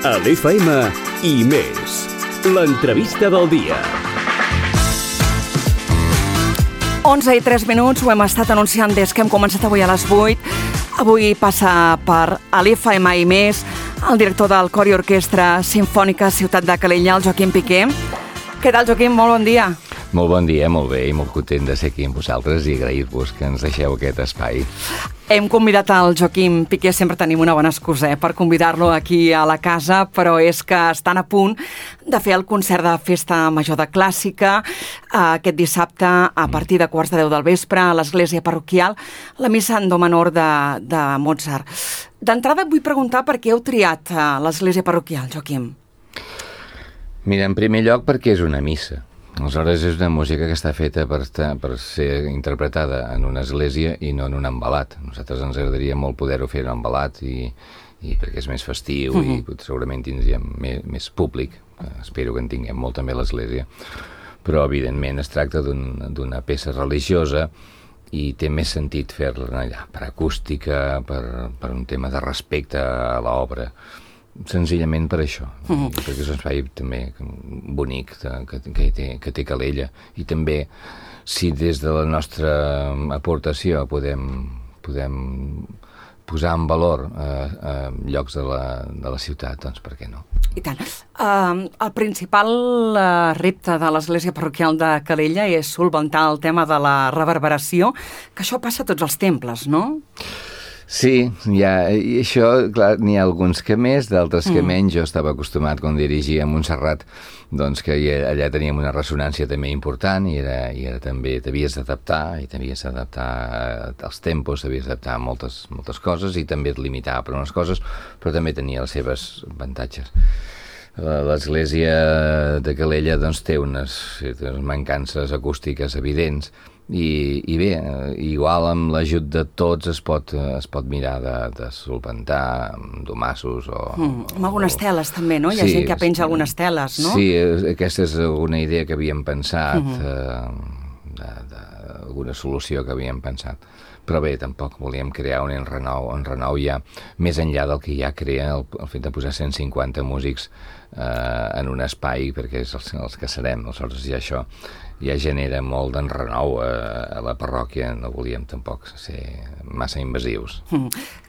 A l'FM i més. L'entrevista del dia. 11:03, ho hem estat anunciant des que hem començat avui a les 8. Avui passa per a l'FM i més el director del Cor i Orquestra Simfònica Ciutat de Calella, el Joaquim Piqué. Què tal, Joaquim? Molt bon dia. Molt bon dia, molt bé, i molt content de ser aquí amb vosaltres i agrair-vos que ens deixeu aquest espai. Hem convidat el Joaquim Piqué, sempre tenim una bona excusa per convidar-lo aquí a la casa, però és que estan a punt de fer el concert de Festa Major de Clàssica aquest dissabte a partir de 9:15 del vespre a l'església parroquial, la missa en do menor de Mozart. D'entrada et vull preguntar per què heu triat l'església parroquial, Joaquim. Mira, en primer lloc perquè és una missa. Aleshores és una música que està feta per ser interpretada en una església i no en un embalat. A nosaltres ens agradaria molt poder-ho fer en un embalat i perquè és més festiu i segurament tindríem més públic. Espero que en tinguem molt també a l'església. Però evidentment es tracta d'una peça religiosa i té més sentit fer-la allà, per acústica, per un tema de respecte a l'obra. Senzillament per això, perquè és un espai també bonic que té Calella, i també si des de la nostra aportació podem posar en valor llocs de la ciutat, doncs per què no? I tant. El principal repte de l'església parroquial de Calella és solventar el tema de la reverberació, que això passa a tots els temples, no? Sí, i això, clar, n'hi ha alguns que més, d'altres que menys. Jo estava acostumat, quan dirigia a Montserrat, doncs que allà teníem una ressonància també important i era també, t'havies d'adaptar als tempos, t'havies d'adaptar a moltes coses i també et limitava per unes coses, però també tenia les seves avantatges. L'església de Calella doncs, té unes mancances acústiques evidents, i bé, igual amb l'ajut de tots es pot mirar de solventar amb domassos o... Amb algunes teles també, no? Hi ha gent que penja algunes teles, no? Sí, aquesta és una idea que havíem pensat, alguna solució que havíem pensat. Però bé, tampoc volíem crear un enrenou ja, més enllà del que ja crea el fet de posar 150 músics en un espai, perquè és els que serem. Aleshores això ja genera molt d'enrenou a la parròquia, no volíem tampoc ser massa invasius.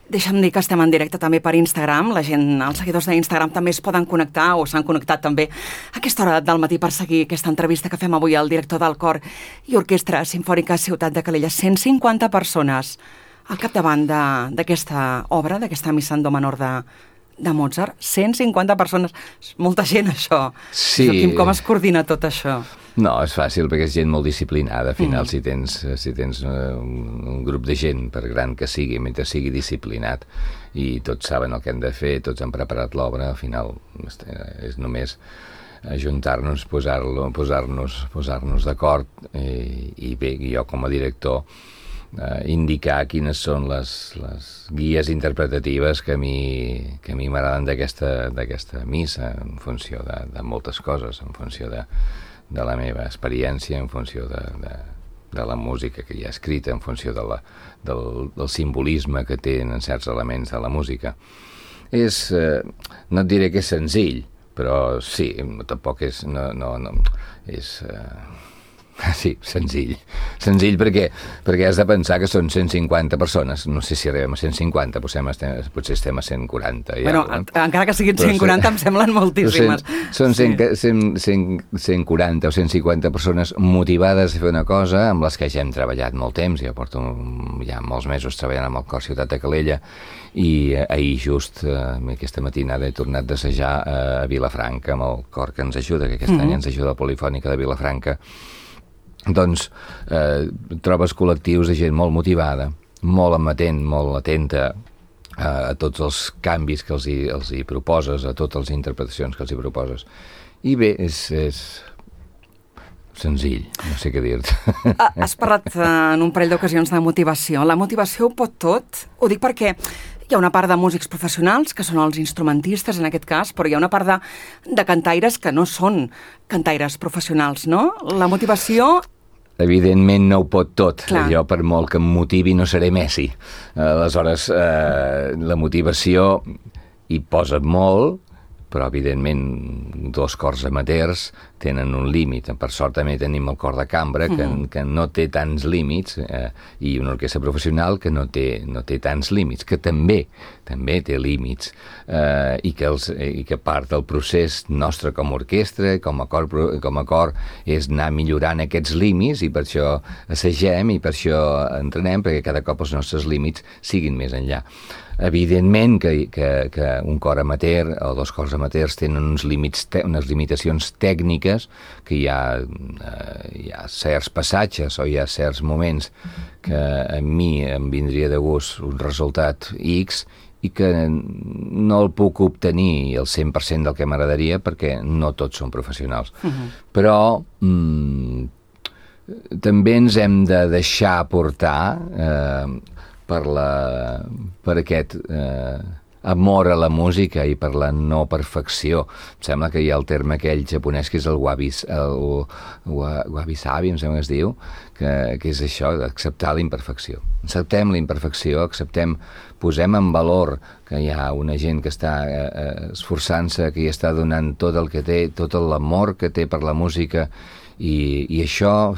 Deixa'm dir que estem en directe també per Instagram. La gent, els seguidors d'Instagram també es poden connectar o s'han connectat també a aquesta hora del matí per seguir aquesta entrevista que fem avui al director del Cor i Orquestra Simfònica Ciutat de Calella. 150 persones al capdavant d'aquesta obra, d'aquesta missa en do menor de Mozart. 150 persones. És molta gent, això. Sí. Joaquim, com es coordina tot això? No, és fàcil, perquè és gent molt disciplinada. Al final, si tens un grup de gent, per gran que sigui, mentre sigui disciplinat, i tots saben el que han de fer, tots han preparat l'obra, al final és només ajuntar-nos, posar-nos d'acord, i bé, jo com a director indicar quines són les guies interpretatives que a mi m'agraden d'aquesta missa, en funció de moltes coses, en funció de la meva experiència, en funció de la música que hi ha escrita, en funció del simbolisme que tenen certs elements de la música. No et diré que és senzill, però sí, tampoc és... Sí, senzill. Senzill perquè has de pensar que són 150 persones. No sé si arribem a 150, potser estem a 140. Bueno, encara que siguin 140 em semblen moltíssimes. Són 140 o 150 persones motivades a fer una cosa amb les que ja hem treballat molt temps. Jo porto ja molts mesos treballant amb el Cor Ciutat de Calella i ahir just, aquesta matinada, he tornat d'assajar a Vilafranca amb el cor que ens ajuda, que aquest any ens ajuda la Polifònica de Vilafranca. Doncs trobes col·lectius de gent molt motivada, molt amatent, molt atenta a tots els canvis que els hi proposes, a totes les interpretacions que els hi proposes. I bé, és senzill, no sé què dir-te. Has parlat en un parell d'ocasions de motivació. La motivació ho pot tot? Ho dic perquè hi ha una part de músics professionals, que són els instrumentistes en aquest cas, però hi ha una part de cantaires que no són cantaires professionals, no? La motivació... Evidentment no ho pot tot. Clar. Jo, per molt que em motivi, no seré Messi. Aleshores, la motivació hi posa molt, però evidentment 2 cors amateurs tenen un límit. Per sort també tenim el cor de cambra, que no té tants límits, i una orquestra professional que no té tants límits, que també té límits, i que part del procés nostre com a orquestra, com a cor, és anar millorant aquests límits, i per això assagem i per això entrenem, perquè cada cop els nostres límits siguin més enllà. Evidentment que un cor amateur o 2 cors amateurs tenen unes limitacions tècniques, que hi ha certs passatges o hi ha certs moments que a mi em vindria de gust un resultat X i que no el puc obtenir el 100% del que m'agradaria, perquè no tots són professionals. Però també ens hem de deixar portar per aquest amor a la música i per la no perfecció. Em sembla que hi ha el terme aquell japonès que és el wabi-sabi, em sembla que es diu, que és això, d'acceptar la imperfecció. Acceptem la imperfecció, posem en valor que hi ha una gent que està esforçant-se, que hi està donant tot el que té, tot l'amor que té per la música, i això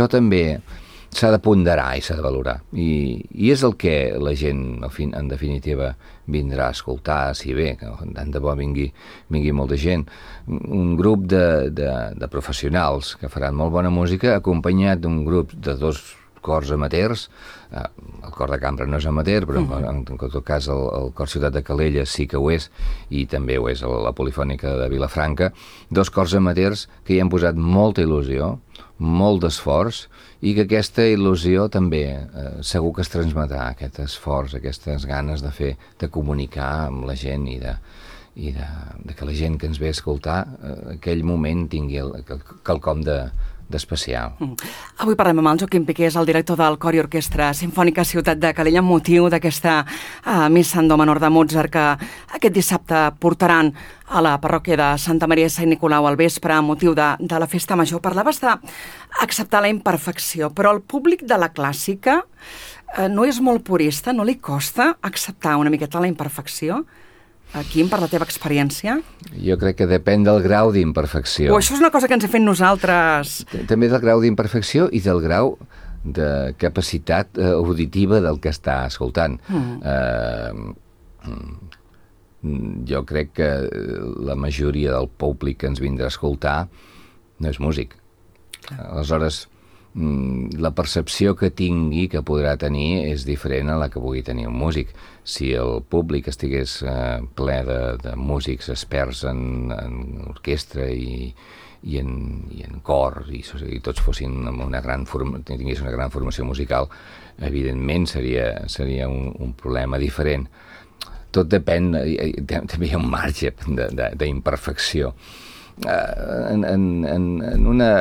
també s'ha de ponderar i s'ha de valorar. I és el que la gent, en definitiva, vindrà a escoltar, si bé, que tant de bo vingui molta gent. Un grup de professionals que faran molt bona música, acompanyat d'un grup de 2 cors amateurs. El cor de cambra no és amateur, però en tot cas el cor Ciutat de Calella sí que ho és, i també ho és la Polifònica de Vilafranca. 2 cors amateurs que hi han posat molta il·lusió, molt d'esforç, i que aquesta il·lusió també segur que es transmetrà, aquest esforç, aquestes ganes de comunicar amb la gent i de que la gent que ens ve a escoltar aquell moment tingui quelcom d'especial. Avui parlem amb el Joaquim Piqué, el director del Cor i Orquestra Simfònica Ciutat de Calella, amb motiu d'aquesta missa en do menor de Mozart que aquest dissabte portaran a la parròquia de Santa Maria de Sant Nicolau al vespre amb motiu de la festa major. Parlaves d'acceptar la imperfecció, però el públic de la clàssica no és molt purista, no li costa acceptar una miqueta la imperfecció? Quim, per la teva experiència? Jo crec que depèn del grau d'imperfecció. Això és una cosa que ens hem fet nosaltres. També del grau d'imperfecció i del grau de capacitat auditiva del que està escoltant. Jo crec que la majoria del públic que ens vindrà a escoltar no és músic. Aleshores, la percepció que tingui, que podrà tenir, és diferent a la que pugui tenir un músic. Si el públic estigués ple de músics experts en orquestra i en cor, i tots fossin tingués una gran formació musical, evidentment seria un problema diferent. Tot depèn, també hi ha un marge d'imperfecció. En una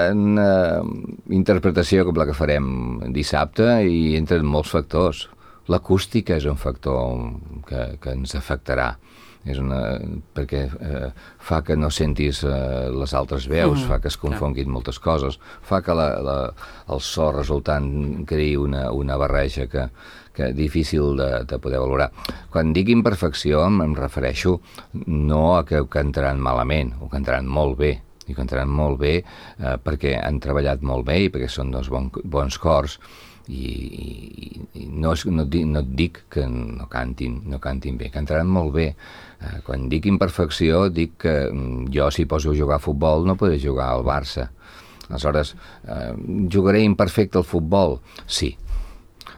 interpretació com la que farem dissabte hi entren molts factors. L'acústica és un factor que ens afectarà, perquè fa que no sentis les altres veus, fa que es confonguin moltes coses, fa que el so resultant creï una barreja que difícil de poder valorar. Quan dic imperfecció em refereixo no a que ho cantaran malament, ho cantaran molt bé, i cantaran molt bé perquè han treballat molt bé i perquè són 2 bons cors, i no et dic que no cantin bé, cantaran molt bé. Quan dic imperfecció dic que jo, si poso a jugar a futbol, no podré jugar al Barça. Aleshores, jugaré imperfecte al futbol? Sí.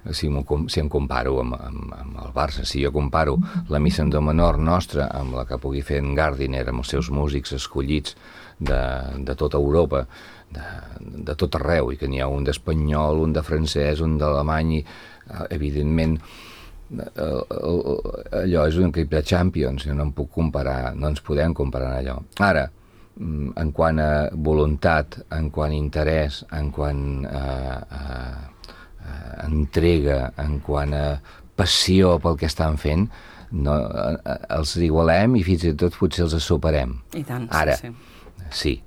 Si em comparo amb el Barça, si jo comparo la missa en do menor nostra amb la que pugui fer en Gardiner, amb els seus músics escollits de tota Europa, de tot arreu, i que n'hi ha un d'espanyol, un de francès, un d'alemany, evidentment allò és un equip de Champions, no em puc comparar, no ens podem comparar en allò. Ara, en quant a voluntat, en quant a interès, en quant a entrega, en quant a passió pel que estan fent, els igualem i fins i tot potser els superem. I tant, ara, sí. Sí,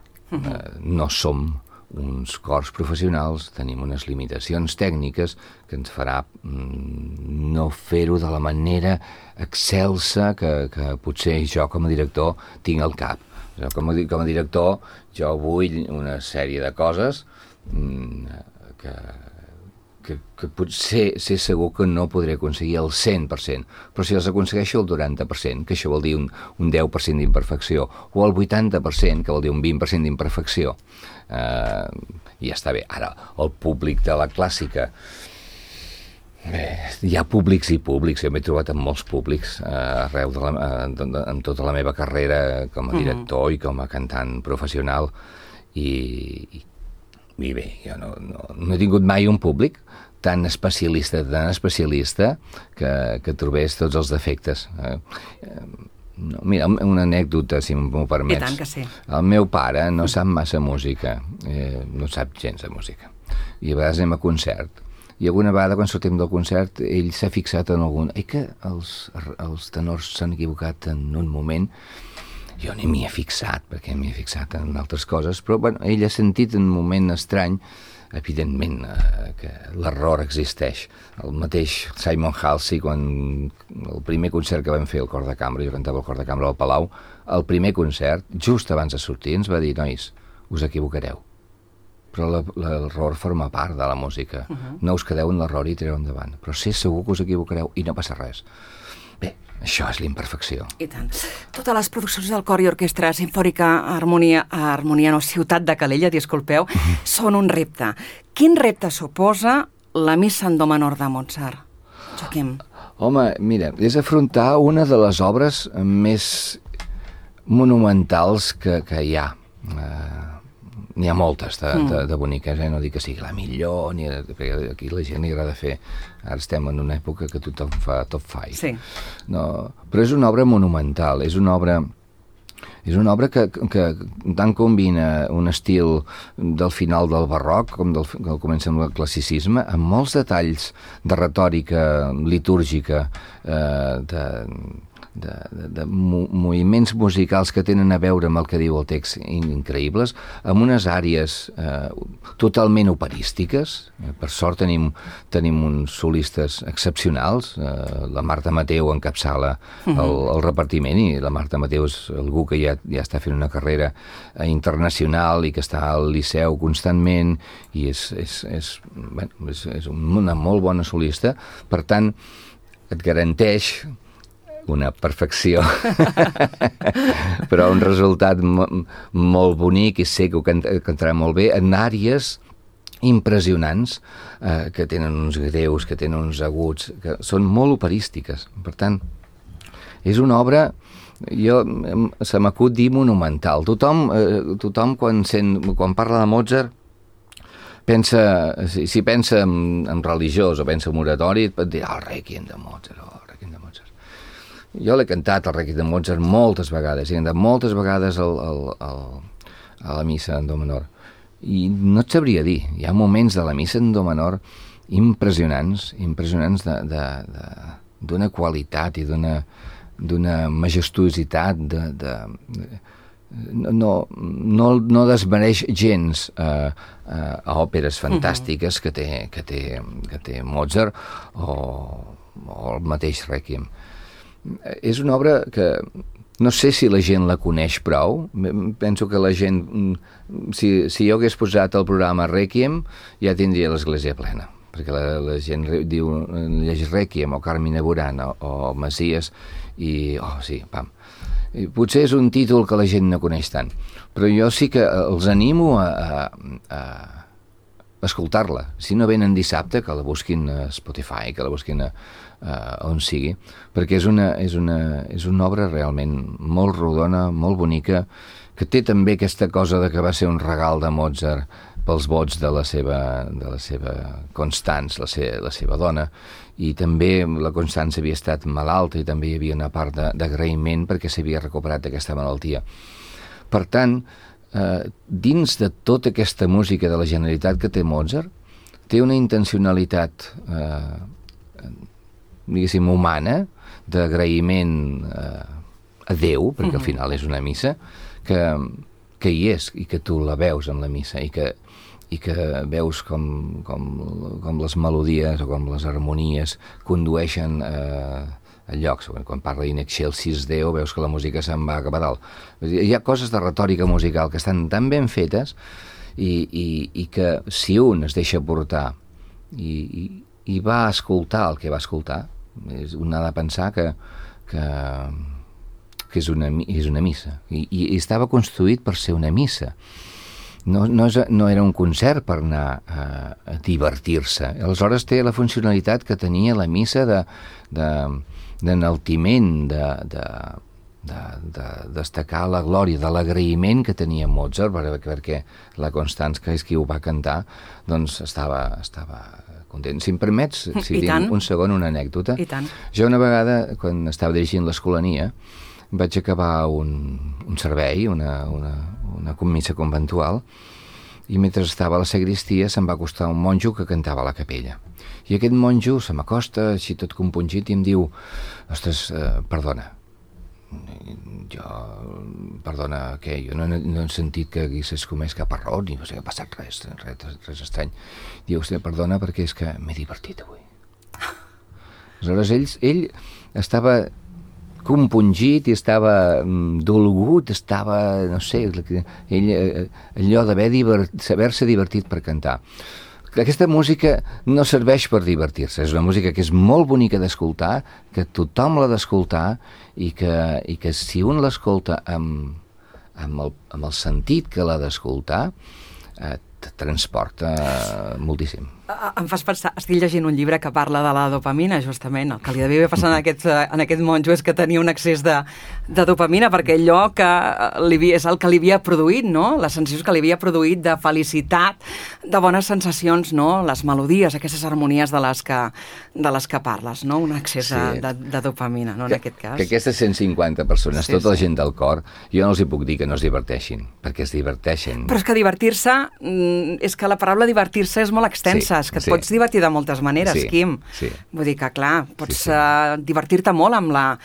no som uns cors professionals, tenim unes limitacions tècniques que ens farà no fer-ho de la manera excelsa que potser jo com a director tinc al cap. Com a director jo vull una sèrie de coses que potser ser segur que no podré aconseguir el 100%, però si els aconsegueixo el 90%, que això vol dir un 10% d'imperfecció, o el 80%, que vol dir un 20% d'imperfecció, ja està bé. Ara, el públic de la clàssica, hi ha públics i públics, jo m'he trobat amb molts públics arreu en tota la meva carrera com a director i com a cantant professional, i bé, jo no he tingut mai un públic tan especialista que trobés tots els defectes. Mira, una anècdota, si m'ho permets. I tant que sí. El meu pare no sap massa música, no sap gens de música, i a vegades anem a concert, i alguna vegada quan sortim del concert ell s'ha fixat en algun... que els tenors s'han equivocat en un moment. Jo ni m'hi he fixat, perquè m'hi he fixat en altres coses, però bueno, ell ha sentit un moment estrany, evidentment que l'error existeix. El mateix Simon Halsey, quan el primer concert que vam fer al Cor de Cambra, jo cantava al Cor de Cambra al Palau, el primer concert, just abans de sortir, ens va dir: nois, us equivocareu, però l'error forma part de la música. No us quedeu en l'error i tireu endavant, però sé segur que us equivocareu i no passa res. Bé, això és l'imperfecció. I tant. Totes les produccions del Cor i Orquestra Simfònica Ciutat de Calella, disculpeu, són un repte. Quin repte suposa la Missa en do menor de Mozart, Joaquim? Home, mira, és afrontar una de les obres més monumentals que hi ha. N'hi ha moltes de boniques, no dic que sigui la millor, perquè aquí la gent li agrada fer. Ara estem en una època que tothom fa top 5. Sí. No, però és una obra monumental, és una obra que tant combina un estil del final del barroc com del comença amb el classicisme, amb molts detalls de retòrica litúrgica, de moviments musicals que tenen a veure amb el que diu el text increïbles, amb unes àrees totalment operístiques. Per sort tenim uns solistes excepcionals. La Marta Mateu encapçala el repartiment, i la Marta Mateu és algú que ja està fent una carrera internacional i que està al Liceu constantment, i és una molt bona solista. Per tant, et garanteix una perfecció, però un resultat molt bonic, i sé que ho cantarà molt bé, en àrees impressionants, que tenen uns greus, que tenen uns aguts, que són molt operístiques. Per tant, és una obra, se m'acut dir monumental. Tothom quan parla de Mozart pensa, si pensa en religiós o pensa en oratori, et pot dir el Rèquiem de Mozart, Jo l'he cantat, el Rèquiem de Mozart, moltes vegades. He cantat moltes vegades a la missa en do menor. I no et sabria dir. Hi ha moments de la missa en do menor impressionants d'una qualitat i d'una majestuositat, no desmereix gens a òperes fantàstiques que té Mozart o el mateix Rèquiem. És una obra que no sé si la gent la coneix prou. Penso que la gent, si jo hagués posat el programa Rèquiem, ja tindria l'església plena, perquè la gent diu, llegeix Rèquiem o Carmina Burana o Messies i, sí, pam. I potser és un títol que la gent no coneix tant, però jo sí que els animo a escoltar-la. Si no venen dissabte, que la busquin a Spotify, que la busquin on sigui, perquè és una obra realment molt rodona, molt bonica, que té també aquesta cosa de que va ser un regal de Mozart pels vots de la seva Constance, la seva dona, i també la Constance havia estat malalta i també hi havia una part d'agraïment perquè s'havia recuperat d'aquesta malaltia. Per tant, dins de tota aquesta música de la Generalitat que té Mozart, té una intencionalitat diguéssim humana, d'agraïment a Déu, perquè al final és una missa, que hi és, i que tu la veus en la missa, i que que veus com les melodies o com les harmonies condueixen a llocs. Quan parla In Excelsis Deo veus que la música se'n va cap a dalt. Hi ha coses de retòrica musical que estan tan ben fetes i que si un es deixa portar i va escoltar el que va escoltar, un ha de pensar que és una missa. I estava construït per ser una missa. No era un concert per anar a divertir-se. Aleshores té la funcionalitat que tenia la missa d'enaltiment, de destacar la glòria, de l'agraïment que tenia Mozart, perquè la Constance, que és qui ho va cantar, doncs estava content. Si em permets, si tinc un segon, una anècdota. I tant. Jo una vegada, quan estava dirigint l'Escolania, vaig acabar un servei, una missa conventual, i mentre estava a la sagristia se'm va acostar un monjo que cantava a la capella. I aquest monjo se m'acosta, així tot compungit, i em diu: ostres, perdona, perdona, què? Jo no he sentit que haguessis comès cap error, ni que ha passat res estrany. Diu: ostres, perdona, perquè és que m'he divertit avui. Aleshores ell estava compungit i estava dolgut, estava, no sé, allò d'haver-se divertit per cantar. Aquesta música no serveix per divertir-se, és una música que és molt bonica d'escoltar, que tothom l'ha d'escoltar i que si un l'escolta amb el sentit que l'ha d'escoltar, et transporta moltíssim. Em fas pensar, estic llegint un llibre que parla de la dopamina, justament. El que li devia passar en aquest monjo és que tenia un excés de dopamina, perquè allò que és el que li havia produït, no? Les sensacions que li havia produït de felicitat, de bones sensacions, no? Les melodies, aquestes harmonies de les que parles, no? Un excés de dopamina, no? En aquest cas. Que aquestes 150 persones, tota la gent del cor, jo no els hi puc dir que no es diverteixin, perquè es diverteixen. Però és que divertir-se, és que la paraula divertir-se és molt extensa, és que et pots divertir de moltes maneres, Quim. Sí. Vull dir que, clar, pots divertir-te molt amb la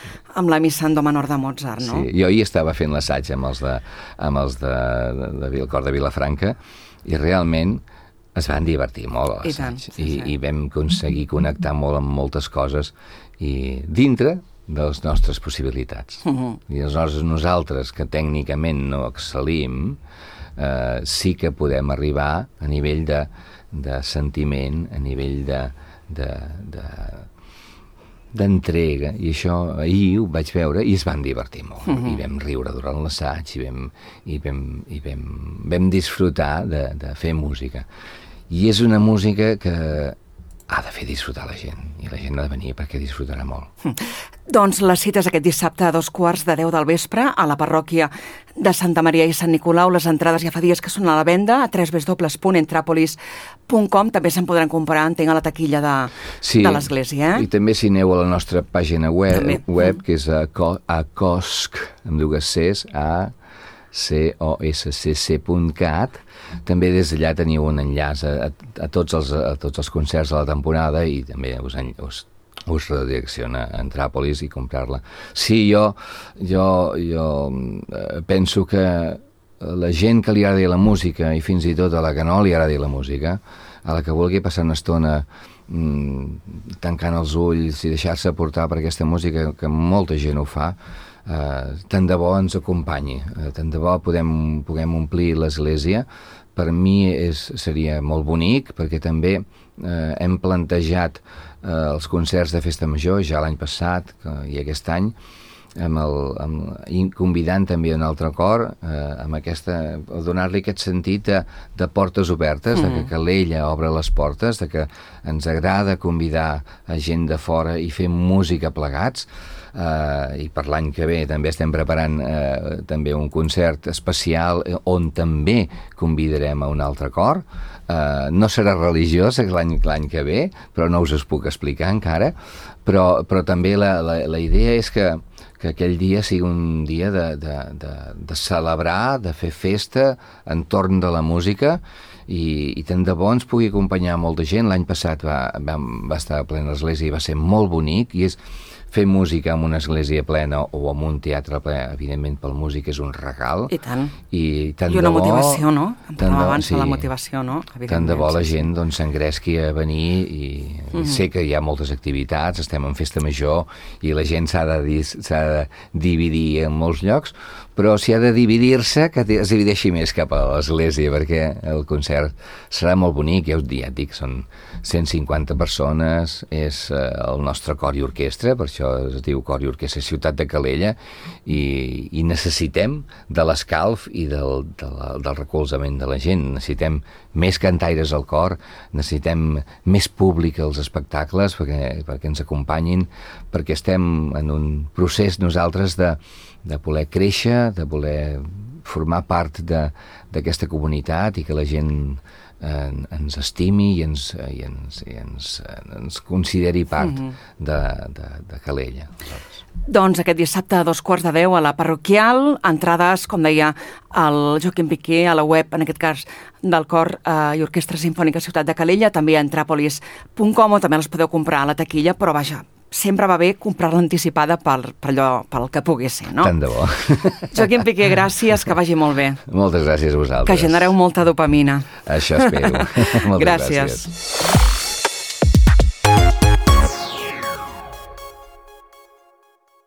missa en do menor de Mozart, no? Sí, jo ahir estava fent l'assaig amb els del cor de Vilafranca i realment es van divertir molt a l'assaig. I vam aconseguir connectar molt amb moltes coses i dintre de les nostres possibilitats. I aleshores nosaltres, que tècnicament no excel·lim, sí que podem arribar a nivell de sentiment, a nivell d'entrega, i això ahir ho vaig veure i es van divertir molt, i vam riure durant l'assaig i vam disfrutar de fer música. I és una música que ha de fer disfrutar la gent, i la gent ha de venir perquè disfrutarà molt. Doncs les cites aquest dissabte a 2:15 del vespre a la parròquia de Santa Maria i Sant Nicolau. Les entrades ja fa dies que són a la venda a www.entrapolis.com. També se'n podran comprar, entenc, a la taquilla de l'església. I també si aneu a la nostra pàgina web que és acosc, amb dues Cs, COSCC.cat. També des d'allà teniu un enllaç a tots els concerts de la temporada i també us redirecciona a Entràpolis i comprar-la. Sí, jo penso que la gent que li agradi la música i fins i tot a la que no li agradi la música, a la que vulgui passar una estona tancant els ulls i deixar-se portar per aquesta música, que molta gent ho fa, tant de bo ens acompanyi, tant de bo puguem omplir l'església. Per mi seria molt bonic, perquè també hem plantejat els concerts de Festa Major ja l'any passat i aquest any, convidant també un altre cor, amb donar-li aquest sentit de portes obertes, de que l'ella obre les portes, de que ens agrada convidar a gent de fora i fer música plegats. I per l'any que ve també estem preparant també un concert especial on també convidarem a un altre cor. No serà religiós l'any que ve, però no us ho puc explicar encara, però també la idea és que aquell dia sigui un dia de celebrar, de fer festa entorn de la música, i tant de bo ens pugui acompanyar molta gent. L'any passat va estar plena l'església i va ser molt bonic, i és fer música en una església plena o en un teatre ple, evidentment pel músic és un regal. I tant. I tant I una de bo, motivació, no? Em parlàvem abans sí, de la motivació, no? Tant de bo la gent doncs, s'engresqui a venir i sé que hi ha moltes activitats, estem en festa major i la gent s'ha de dividir en molts llocs, però si ha de dividir-se, que es divideixi més cap a l'església, perquè el concert serà molt bonic, ja et dic, són 150 persones, és el nostre cor i orquestra, per això es diu Cor i Orquestra Ciutat de Calella, i necessitem de l'escalf i del recolzament de la gent, necessitem més cantaires al cor, necessitem més públic als espectacles perquè ens acompanyin, perquè estem en un procés nosaltres de voler créixer, de voler formar part d'aquesta comunitat i que la gent ens estimi i ens consideri part de Calella. Doncs aquest dissabte a 2:15 a la parroquial, entrades, com deia el Joaquim Piqué, a la web, en aquest cas, del Cor i Orquestra Simfònica Ciutat de Calella, també a entrapolis.com, o també les podeu comprar a la taquilla, però vaja, sempre va bé comprar-la anticipada pel que pugui ser, no? Tant de bo. Joaquim Piqué, gràcies, que vagi molt bé. Moltes gràcies a vosaltres. Que genereu molta dopamina. Això espero. Moltes gràcies.